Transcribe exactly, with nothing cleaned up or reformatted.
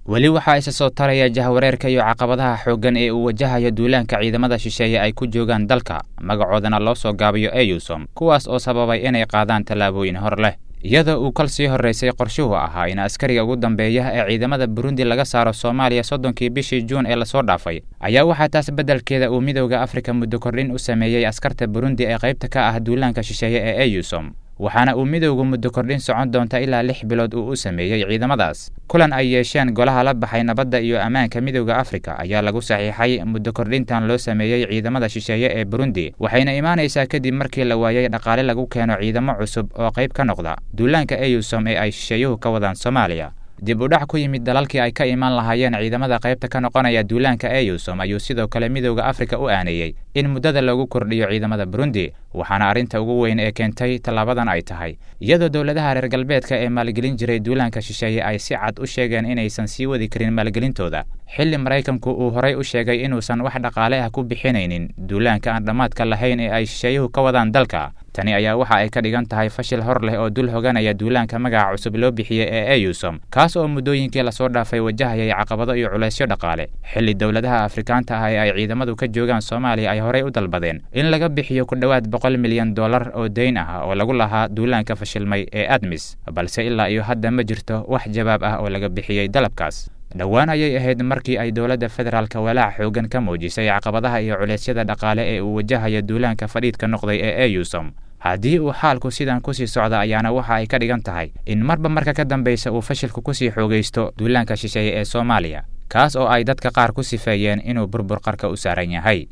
Weli waxaa isa soo taraya jahwareerka iyo caqabadaha xooggan ee uu wajahayo duulaanka ciidamada shisheeye ay ku joogaan dalka, magacoodana loo soo gaabiyo EUSOM, kuwaas oo sababay inay qaadaan tallaabooyin hor leh. Iyadoo uu kal sii horraysay qorshuhu ahaa in askariga ugu dambeeya ee ciidamada Burundi laga saaro Soomaaliya soddonkii bishii Juun ee lasoo dhaafay, ayaa waxaa taas beddelkeeda uu Midowda Afrika muddo kordhin u sameeyey askarta Burundi ee qaybta ka ah duulaanka shisheeye ee EUSOM, waxaana uu midowgu muddo kordhin socon doonta ilaa lix bilood uu u sameeyey ciidamadaas. Kulan ay yeesheen golaha la baxay nabadda iyo ammaanka Midowda Afrika ayaa lagu saxiixay muddo kordhintan loo sameeyey ciidamada shisheeye ee Burundi, waxayna imaanaysaa kadib markii la waayey dhaqaale lagu keeno ciidamo cusub oo qayb ka noqda duulaanka EUSOM ee ay shisheeyuhu ka wadaan Soomaaliya. Dib u dhac ku yimid dalalkii ay ka imaan lahaayeen ciidamada qaybta ka noqonaya duulaanka EUSOM ayuu sidoo kale Midowda Afrika u aaneeyey in muddada loogu kordhiyo ciidamada Burundi, waxaana arrinta ugu weyn ee keentay tallaabadan ay tahay iyadoo dowladaha reer galbeedka ee maalgelin jiray duulaanka shisheeye ay si cad u sheegeen inaysan sii wadi karin maalgelintooda, xilli Maraykanku uu horay u sheegay inuusan wax dhaqaale ah ku bixinaynin duulaanka aan dhammaadka lahayn ee ay shisheeyuhu ka wadaan dalka. Tani ayaa waxa ay ka dhigan tahay fashil hor leh oo dul hoganaya duulaanka magaca cusub loo bixiyey ee EUSOM, kaas oo muddooyinkii lasoo dhaafay wajahayay caqabado iyo culaysyo dhaqaale, xilli dowladaha Afrikaanta ah ee ay ciidamadu ka joogaan Soomaaliya ay horey u dalbadeen in laga bixiyo ku dhowaad boqol milyan dollar oo deyn ah oo lagu lahaa duulaanka fashilmay ee ADMIS, balse ilaa iyo hadda ma jirto wax jawaab ah oo laga bixiyey dalabkaas. Dhowaan ayay ahayd markii ay dowladda federaalka walaac xooggan ka muujisay caqabadaha iyo culeysyada dhaqaale ee uu wajahayo duulaanka fadhiidka noqday ee EUSOM. Haddii uu xaalku sidan kusii socda ayaana waxa ay ka dhigan tahay in marba marka ka dambaysa uu fashilku kusii xoogaysto duulaanka shisheeye ee Soomaaliya, kaas oo ay dadka qaar ku sifeeyeen inuu burbur qarka u saaran yahay.